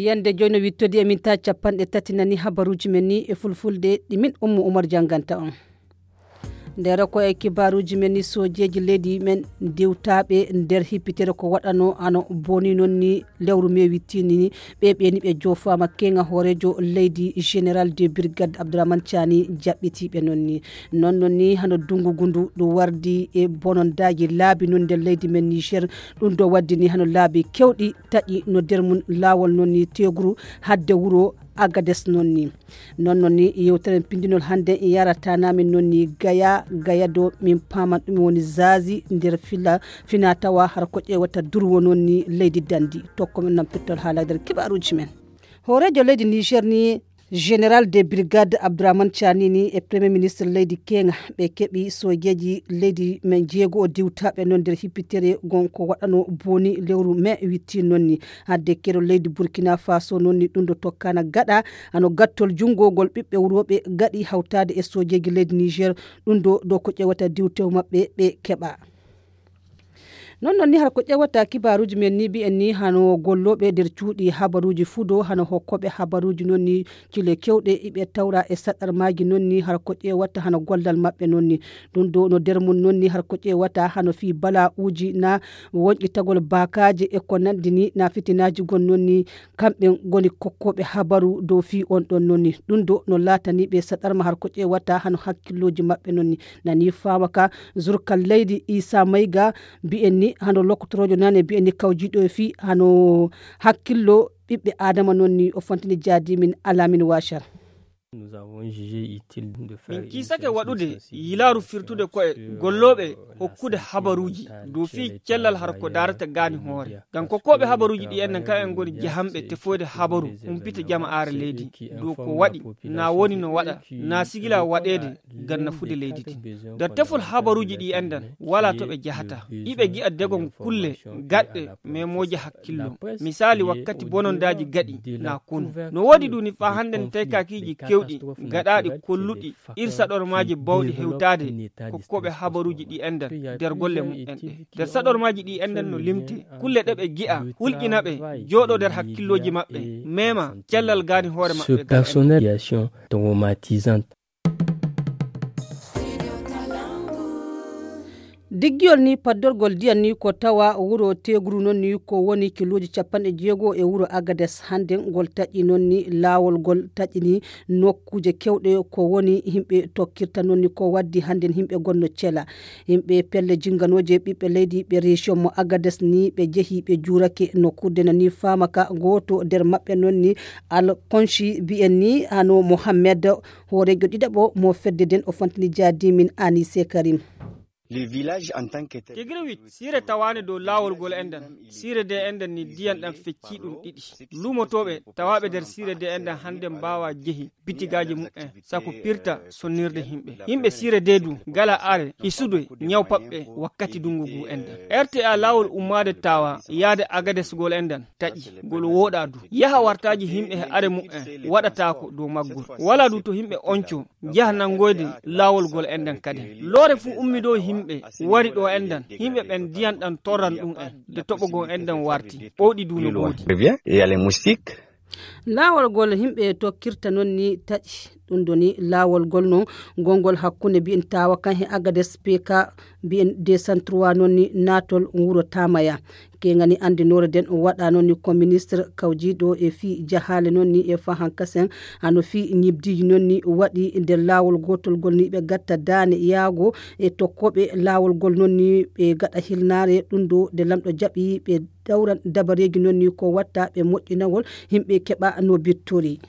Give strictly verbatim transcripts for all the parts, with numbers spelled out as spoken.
Yande joyi no wittodi e minta capanɗe tati nani habaruji men ni e fulfulde ɗi min Ummu Umar janganta on. Nder ko e kibaruji men ni sojeji leydi men diwtaɓe nder hippitere ko waɗano ano boni non ni lewru me wittini ni ɓe ɓeni ɓe jofama kenga hoorejo leydi général de brigade Abdourahmane Tiani jaɓɓitiɓe non ni. Non non ni hano dungu gundu ɗum wardi e bonondaji laabi non nder leydi men Niger. Ɗum ɗo waddi ni hano laabi kewɗi taƴi no nder mum laawol non ni teguru hadde wuro Agades non ni. Non non ni yewtere pindinol hande yarata namin non ni gaya gaya do min paman ɗum woni zazi nder fila fina tawa har ko ƴewata durwo non ni leydi dandi. Tokko min non pettol haala nder kibaruji men. Hoorejo leydi Niger ni général de brigade Abdourahmane Tiani ni e premier ministre leydi kenga ɓe keɓi sojeji leydi men jeego o diwtaɓe non nder hippitere gon ko waɗano boni lewru mai witti non ni. Hadde kero leydi Burkina Faso non ni ɗum ɗo tokkana gaɗa hano gattol junngogol ɓiɓɓe wurooɓe gaɗi hawtaade e sojeeji leydi Niger. Ɗum ɗo ɗo ko ƴewata diwtewo maɓɓe ɓe keɓa. Non non ni har ko ƴewata kibaruji men ni mbi'en ni hano gollooɓe nder cuuɗi habaruji fudo hano hokkooɓe habaruji non ni cile kewɗe iɓe tawra e saɗarmaaji non ni har ko ƴewata hano gollal maɓɓe non ni. Ɗum ɗo no nder mum non ni har ko ƴewata hano fii bala'uji na wonƴitagol baakaaje e ko nanndi ni na fitinaaji gon non ni kamɓe ngoni kokkooɓe habaru dow fii on ɗon non ni. Ɗum ɗo no laatani ɓe saɗarma har ko ƴewata hano hakkillooji maɓɓe non ni. Nani faama ka zurkal leydi Isa Mayga mbi'en ni hano lokkotoroojo nane mbi'en ni kawjiiɗo e fii hano hakkillo ɓiɓɓe Adama non ni o fontini jaadi min Alamin Washar. Min kiisake waɗude yilaaru firtude ko'e gollooɓe hokkude habaruuji dow fii cellal hara ko daarata gaani hoore. Ngam kokkooɓe habaruuji ɗi enen kam en ngoni jahanɓe tefoyde habaru humpita jama aara leydi dow ko waɗi na woni no waɗa na sigila waɗeede ngam nafude leydi din. Nder tefol habaruuji ɗi enɗan walaa to ɓe jahata. Iɓe gi'a degon kulle gaɗɗe memooje hakkillo. Misaali wakkati bonondaaji gaɗi na konu. No woodi ɗuni faa hannden taykakiiji kewɗi gaɗaaɗi kolluɗi ir saɗormaaji bawɗi hewtaade kokkooɓe habaruuji ɗi enɗan nder golle mumen ɗe. Nder saɗormaaji ɗi enɗan no limte kulle ɗe ɓe gi'a hulƴina ɓe jooɗo nder hakkillooji maɓɓe mema cellal gaani hoore maɓɓe. Personnel traumatisante. Diggiyol ni paddorgol ndiyam ni ko tawa wuro Tegru non ni ko woni kilooji capanɗe jeego e wuro Agades hannden ngol taƴi non ni laawol ngol taƴi ni nokkuuje kewɗe ko woni yimɓe tokkirta non ni ko waddi hannden yimɓe gonno cela. Yimɓe pelle jinganooje ɓiɓɓe leydi ɓe région mo Agades ni ɓe jehi ɓe juurake nokkuurde na ni faama ka gooto nder maɓɓe non ni Alkonshi mbi'en ni hano Mohammed hooreejo ɗiɗaɓo mo fedde nden o fontini jaadimin Anise Karim. Le village en tant que tel. Tigriwit siire tawaande dow laawol ngol enɗan siire de enɗan ni diyan ɗan fecci ɗum ɗiɗi luumotooɓe tawaaɓe nder siire de enɗan hannde mbaawa jehi bitigaaji mumen sako pirta sonnirde yimɓe yimɓe siire de du ngala are isude ñaw paɓɓe wakkati dungu ngu enɗan rta laawol ummaade tawa yaade agadesgol enɗan taƴi ngol wooɗa du yaha wartaaji yimɓe e are mumen waɗataako dow maggol wala du to yimɓe onco njaha nanngoyde laawol ngol enɗan kadi loore fuu ummi ɗo yimɓe wari ɗo enɗan yimɓe ɓen ndiyan ɗan torran ɗum en de toɓo goo enɗan warti ɓowɗi du no ɓoodi. Laawol ngol yimɓe tokkirta non ni taƴi ɗum ɗo ni laawol ngol non ngol ngol hakkunde mbiyen tawa kan he agades pk mbiyen deux cent trois non ni naatol wuro tamaya kengani anndinoore nden o waɗa non ni ko ministre kawjiiɗo e fii jahaale non ni e fahankasen hano fii ñibdiiji non ni waɗi nder laawol gootol ngol ni ɓe gatta daane yaago e tokkooɓe laawol ngol non ni ɓe gaɗa hilnaare ɗum ɗo nde lamɗo jaɓi ɓe dawran dabareeji non ni ko watta ɓe moƴƴinagol yimɓe keɓa no bittori.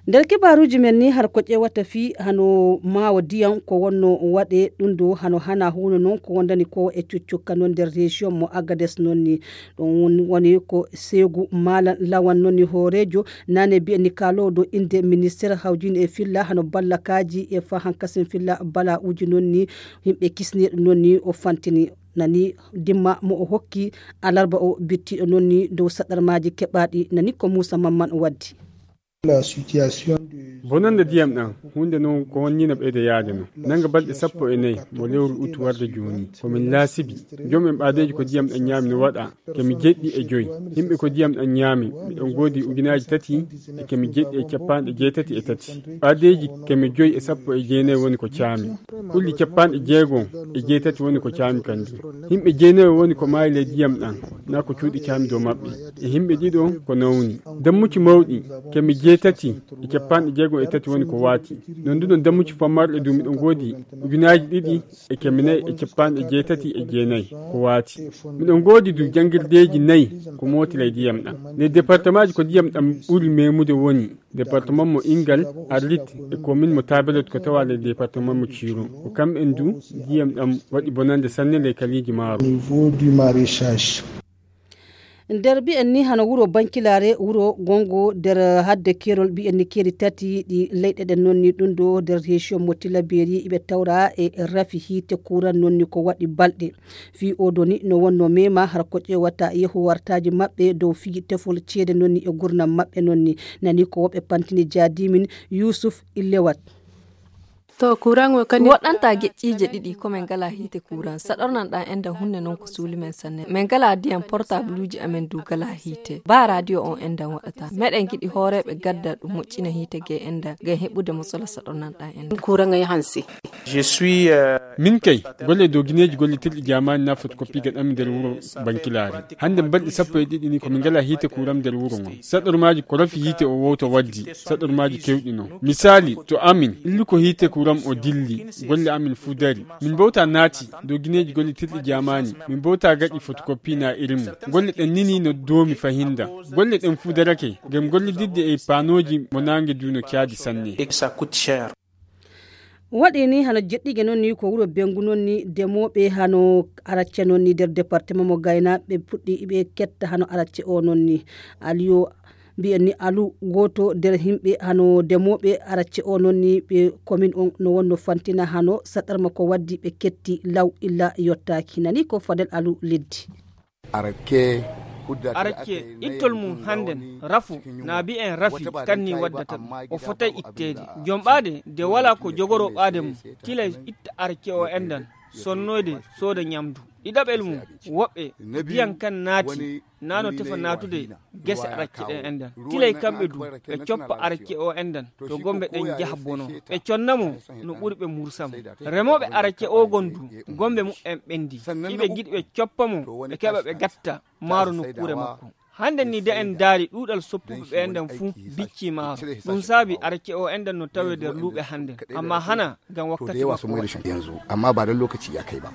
Nder kibaaruuji men ni har ko ƴeewata fii hano maawo diyam ko wonno waɗe ɗum ɗo hano hana huuno noon ko wondani ko e cuccukka noon nder région mo agades noon ni ɗum woni ko seegu maalan lawan noon ni hooreejo nane mbiye ni kaaloowo dow innde ministeer hawjini e filla hano ballakaaji e fahan kasen filla bala'uuji noon ni yimɓe kisneeɗo noon ni o fantini nani dimma mo o hokki alarba o bittiiɗo noon ni dow saɗarmaaji keɓaaɗi nani ko muusa mamman waddi. Bonannde ndiyam ɗam huunde noon ko wonnii no ɓeyda yaade no. Nannga balɗe sappo e nayi mo lewru ut warde jooni, ko min laasibi. Joom en ɓaadeeji ko ndiyam ɗam ñaami no waɗa kemi jeɗɗi e joyi. Yimɓe ko ndiyam ɗam ñaami, miɗen ngoodi ujunaaji tati e kemi jeɗɗi e cappanɗe jeetati e tati. Ɓaadeeji kemi joyi e sappo e jeenayi woni ko caami. Ɓulli cappanɗe jeegom e jeetati woni ko caami kanjum. Yimɓe jeenayi woni ko maayi ley ndiyam ɗam, na ko cuuɗi caami dow maɓɓe. E yimɓe ɗiɗo ko nawni. Dammucci mawɗi kemi jeetati e cappanɗe jeegom e tati woni ko waati. Non du non dammucci fammarɗe du miɗo ngoodi ujunaaji ɗiɗi e kemi nayi e cappanɗe jeetati e jeenayi ko waati. Miɗo ngoodi du janngirdeeji nayi ko mooti ley ndiyam ɗam. Ley departemaaji ko ndiyam ɗam ɓuri meemude woni departement mo Ingal, Arlit e commune mo Tabelot ko tawa ley departement mo Ciiro. Ko kamɓen du ndiyam ɗam waɗi bonannde sanne ley kaliiji maaro. Nder mbiyen ni hano wuro Bankilaare, wuro gongo nder hadde keerol mbiyen ni keeri tati ɗi leyɗe ɗen noon ni ɗum ɗo nder région mo Tillabéri iɓe tawra e rafi hiite kuuran noon ni ko waɗi balɗe. Fii oo ɗoo ni no wonno mema har ko ƴeewata yehu wartaaji maɓɓe dow fii tefol ceede noon ni e gurnam maɓɓe noon ni. Nani ko woɓɓe pantini jaadimin Yuusuf Illewat. To kuran o kadi woɗɗanta geƴƴiije ɗiɗi ko min ngala hiite kuran saɗornan ɗan enɗan hunde noon ko suuli men sanne. Min ngala diyan portabluuji amen du ngala hiite ba radio on enɗan waɗata meɗen giɗi hooreeɓe gadda ɗum moƴƴina hiite ge enɗan ngam heɓude mo sola saɗornan ɗan enɗan. Kuran ay hansi. Min kay golle dogineeji gollitirɗi jamaani na fotokoppi gaɗanmi nder wuro Bankilaari. Hannde mbalɗi sappo e ɗiɗi ni ko min ngala hiite kuram nder wuro ngon. Saɗormaaji ko rafi hiite o wowto waddi. Saɗormaaji kewɗi non. Misaali to amin illuko hiite kuram o dilli. Golle amin fuu dari. Min mbowta naati dogineeji gollitirɗi jamaani. Min mbowta gaɗi fotokoppi na irin mum. Golle ɗen nini no doomi fahinda. Golle ɗen fuu darake ngam gollididde e paanooji mo naange du no caadi sanne. Waɗi ni hano jeɗɗige noon ni ko wuro Bengu noon ni demooɓe hano aracce noon ni nder département mo Gayna ɓe puɗɗi ɓe ketta hano aracce o noon ni. Aliyo mbiyen ni alu gooto nder yimɓe hano demooɓe aracce o noon ni ɓe commune on no wonno fantina hano saɗarma ko waddi ɓe ketti law illa yottaaki nani ko Fadel Alu Leddi. Arakke ittol mum hannden rafu na mbiyen rafi kanni waddata ɗum o fotay itteede jomɓaade de wala ko jogoro ɓaade mum tilay itta arakke o enɗan sonnoyde sooda ñamdu ɗiɗaɓel mum woɓɓe ndiyan kan naati nano tefa naatude gese arakke ɗen enɗan tilay kamɓe du ɓe coppa arakke o enɗan to gombe ɗen jaha bono ɓe conna mo no ɓuri ɓe mursa mo remooɓe arakke o gon du gombe muɓɓen ɓendi iɓe giɗi ɓe coppa mo ɓe keɓa ɓe gatta maaro nokkuure makko. Hannde ni de en ndaari ɗuuɗal soppuɓe ɓe enɗan fuu biccii maaro. Ɗum saabi arakke o enɗan no tawee nder luuɓe hannden, amma hana ngam wakkati makko waɗi. Amma ba don lokaci ya kai ba.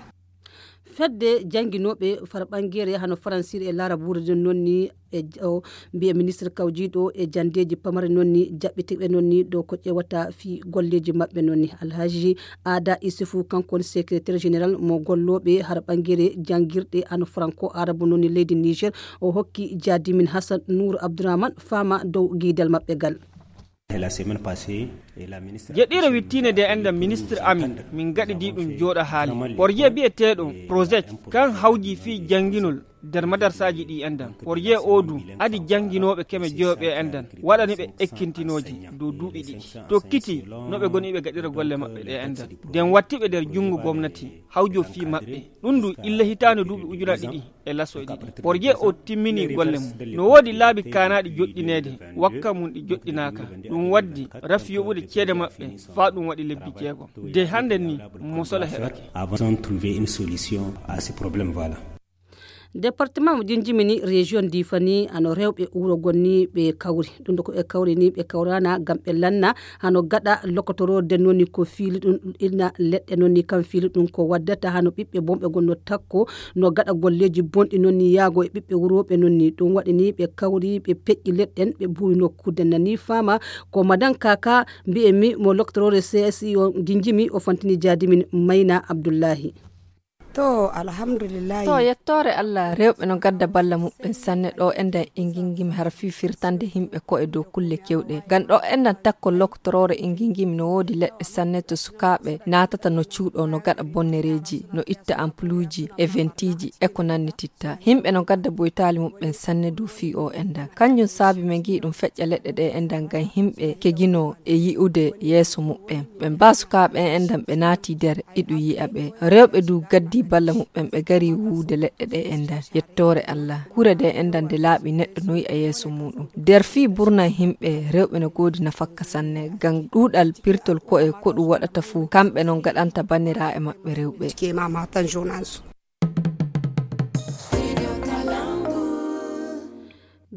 Fedde jannginooɓe farɓangeere hano faransiire e laarabuure ɗen noon ni e o mbiye ministre kawjiiɗo e janndeeji pamare noon ni jaɓɓitirɓe noon ni ɗo ko ƴewata fii golleeji maɓɓe noon ni. Alhaji Aada Isufu kanko woni secrétaire général mo gollooɓe har ɓangere janngirɗe ano franco arabu noon ni leydi Niger. O hokki jaadimin Hassan Nour Abdourahmane faama dow giidal maɓɓe gal. Jeɗɗiire wittiinde nde enɗan ministre amin min gaɗidi ɗum jooɗa haali porje biyeteeɗo projet kan hawji fii jannginol nder madarsaaji ɗi enɗan porje o du adi jannginooɓe keme jeyoɓe enɗan waɗani ɓe ekkintinooji dow duuɓi ɗiɗi tokkiti no ɓe goni ɓe gaɗira golle maɓɓe ɗe enɗan nden watti ɓe nder junngo gomnati hawjo fii maɓɓe ɗum du illa hitaande duuɓi ujuna ɗiɗi e laso e ɗiɗi porje o timmini golle mum no woodi laabi kaanaaɗi joɗɗineede wakka mum ɗi joɗɗinaaka ɗum waddi rafi yoɓude ceede maɓɓe faa ɗum waɗi lebbi jeegom de hannde ni mosola heɓake. Avant trouver une solution à ce problème voilà. Département mo jinjimi ni région difani ano rewɓe wuro gonni ɓe kawri ɗum ɗo ko ɓe kawri ni ɓe kawrana ngam ɓe lanna hano gaɗa lokotoroode noon ni ko fiili ɗum ina leɗɗe noon ni kam fiili ɗum ko waddata hano ɓiɓɓe bonɓe gonno takko no gaɗa golleeji bonɗi noon ni yaago e ɓiɓɓe wurooɓe noon ni ɗum waɗi ni ɓe kawri ɓe peƴƴi leɗɗen ɓe buwi nokkude nani faama. Ko madan kaka mbiyen mi mo loktoroore csi o jinjimi o fantini jaadimin mayna abdullahi. To, alhamdulillahi. To, yettoore Allah, rewɓe no gadda balla muɓɓen sanne ɗo enɗan e ngingimi har fii firtande yimɓe ko e dow kulle kewɗe. Ngam ɗo enɗan takko lokotoroore e ngingimi no woodi leɗɗe sanne to sukaaɓe naatata no cuuɗo, no gaɗa bonnereeji, no itta ampuluuji, e ventiiji, e ko nannititta. Yimɓe no gadda boytaali muɓɓen sanne dow fii o enɗan. Kanjum saabi men ngi'i ɗum feƴƴa leɗɗe ɗe enɗan ngam yimɓe keginoo e yi'ude yeeso muɓɓen. Ɓe mbaa sukaaɓe en enɗan ɓe naati nder iɗu yi'a ɓe. Rewɓe du gaddi balla muɓɓen ɓe gari wuude leɗɗe ɗe enɗan. Yettoore Allah. Kure ɗe enɗan nde laaɓi neɗɗo no yi'a yeeso muɗum. Nder fii burna yimɓe, rewɓe no goodi nafakka sanne. Ngam ɗuuɗal pirtol ko'e ko ɗum waɗata fuu, kamɓe non ngaɗanta banniraaɓe maɓɓe rewɓe.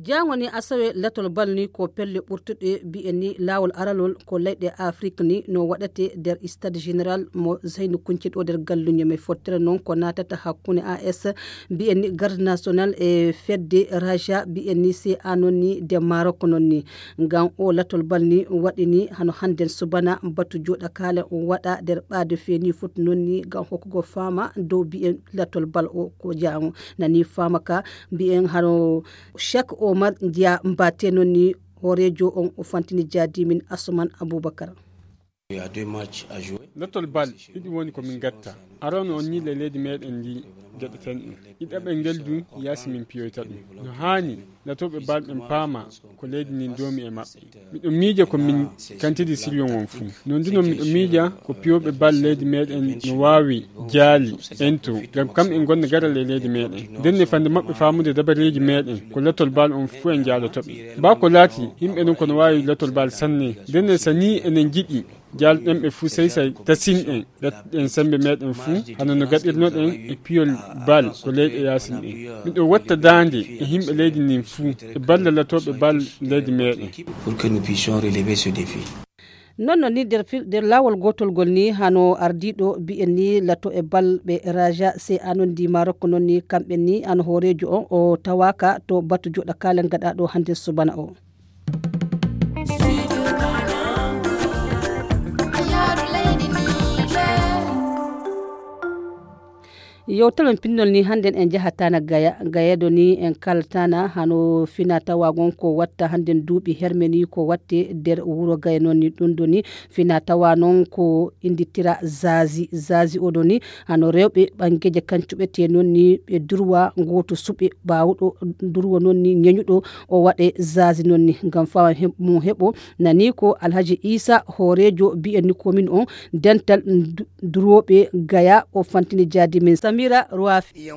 Jaango ni asawe latol bal ni ko pelle ɓurtuɗe bi'en ni laawol aralol ko leyɗe Afrik ni no waɗate nder stade général mo Zeynu Kunce ɗo nder galluño men fottere non ko naatata hakkunde A S bi'en ni garde national e fedde Raja bi'en ni C A non ni de Maroc non ni. Ngam o latol bal ni waɗi ni hano hannden subana batu joɗa kala waɗa nder ɓaade feeni foti non ni ngam hokkugo faama dow bi'en latol bal o ko jaango nani faama ka bi'en hano Cheikh Omar Dia Mbaté non ni hooreejo on o fantini jaadimin Asuman Abubakar. Latol bal ɗiɗi woni ko min gatta. Arano on ni le leydi meɗen ndi gaɗeten ɗum. Ɗiɗaɓel ngel du yaasi min piyoyta ɗum. No haani latooɓe bal ɓen paama ko leydi ndin doomi e maɓɓe. Miɗo miija ko min kantidi siriyon on fuu. Non du non miɗo miija ko piyooɓe bal leydi meɗen no waawi jaali ento ngam kam en gonna garal e leydi meɗen. Nden ne fande maɓɓe faamude dabareeji meɗen ko latol bal on fuu en jaaloto ɓe. Baa ko laati yimɓe non kono waawi latol bal sanne. Nden ne sanii enen jiɗi jaalɗen ɓe fuu sey sey tasinɗen gatɗen sembe meɗen fuu hano no gaɗirnoɗen e piyol bal ko leyɗe yaasin ɗen. Miɗo watta daande e yimɓe leydi ndin fuu e balla latooɓe bal leydi meɗen. Nonno ni nder laawol gootol ngol ni hano ardiiɗo bi'en ni lato e balɓe raja se anon ndi marokko non ni kamɓe ni hano hooreejo on o tawaaka to batu joɗa kaalen gaɗaaɗo hannde subana o. Yewtere men pinnol ni hannden en njaha tana gaya gayeɗo ni en kala tana hano fina tawa gon ko watta hannden duuɓi herme ni ko watte nder wuro gaya noon ni ɗum ɗo ni fina tawa noon ko inndittira zazi zazi oɗo ni hano rewɓe ɓanngeeje kancuɓe te noon ni ɓe durwa ngooto suɓe baawɗo durwa noon ni ñeñuɗo o waɗe zazi noon ni ngam fawa mum heɓo nani ko alhaji isa hooreejo biyen ni komin on dental durooɓe gaya o fantini jaadi men samira roafi.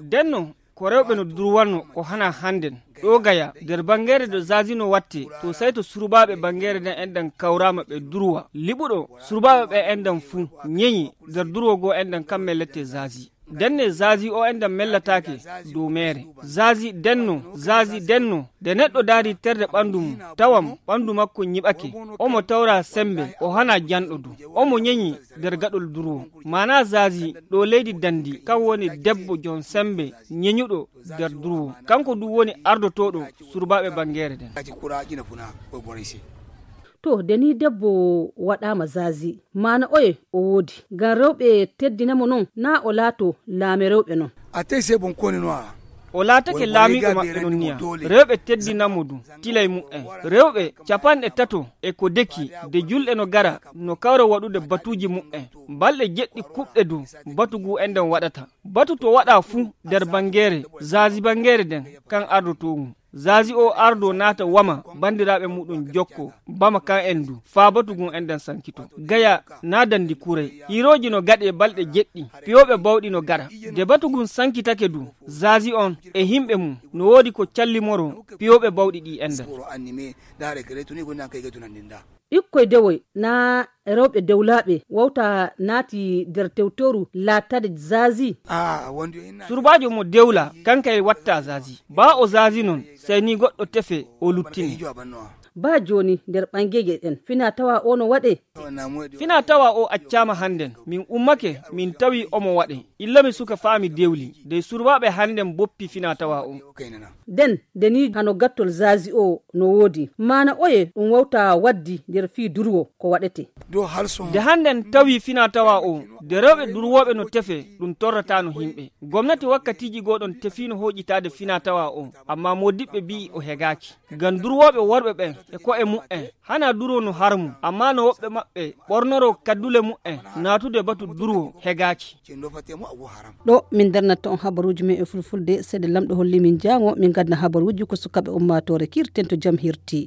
Denno ko rewɓe no durwanno ko hana hannden ɗo gaya nder banngeere do zazi no watte to sey to surbaaɓe banngeere nden enɗan kawraama ɓe durwa liɓuɗo surbaaɓe ɓe enɗan fuu ñeñi nder durwo goo enɗan kamme lette zazi. Denne zazi o enɗan mellataake dow meere. Zazi denno zazi denno nde neɗɗo daari terde ɓanndu mum tawam ɓanndu makko ñiɓake. Omo tawra semmbe o hana janɗo du omo ñeñi nder gaɗol durwo. Maana zazi ɗo leydi danndi kan woni debbo jom semmbe ñeñuɗo nder durwo. Kanko du woni ardotooɗo surbaaɓe banngeere nden. To de ni debbo waɗaama zazi maana oye o woodi ngam rewɓe teddina mo noon naa o laato laame rewɓe noon. A tey sey bon koni no a. O laatake laamiiɗo maɓɓe noon niya rewɓe teddina mo du tilay muɓɓen rewɓe capanɗe tato e ko deki de julɗe no gara no kawra waɗude batuuji muɓɓen balɗe jeɗɗi kuɓɗe du batu ngu enɗan waɗata. Batu to waɗa fuu nder banngeere zazi banngeere nden kan ardotoo ngu. Zazi o ardo naata wama banndiraaɓe muɗum jokko bama kan en du faa batu ngun enɗan sankito. Gaya naa danndi kuray hiirooji no gaɗee balɗe jeɗɗi piyooɓe bawɗi no gara. Nde batu ngun sankitake du zazi on e yimɓe mum no woodi ko callimoroo piyooɓe bawɗi ɗi enɗan. Ɓikkoy dewoy naa rewɓe dewlaaɓe wawta naati nder tewtoru laatade zazi. Surbaajo mo dewla kankay watta zazi baa o zazi noon sey ni goɗɗo tefe o luttine. Baa jooni nder ɓangeeje ɗen, finaa tawaa o no waɗee. Finaa tawaa o accaama hannden, min ummake, min tawi omo waɗee. Illa mi suka faa mi dewli, dey surbaaɓe hannden boppi finaa tawaa o. Den, nde nii hano gattol zaazi o no woodi, maana oye ɗum wawtaa waddi nder fii durwo ko waɗetee. Nde hannden tawi finaa tawaa o, nde rewɓe durwooɓe no tefee, ɗum torrataano himɓe. Gomnati wakkatiiji goo ɗon tefiino hooƴitaade finaa tawaa o, ammaa moodiɓɓe bi'i o hegaaki. Ngam durwooɓe worɓe ɓen e ko'e mu'en, hanaa durwo no harmu, ammaa no woɓɓe maɓɓe ɓornoroo kaddule mu'en naatude batu durwo hegaaki. Ɗo min darnata on habaruuji men e fulfulde, seede lamɗo holli min jaango, min ngadna habaruuji ko sukaaɓe ummaatoore kiirten to jam hirti.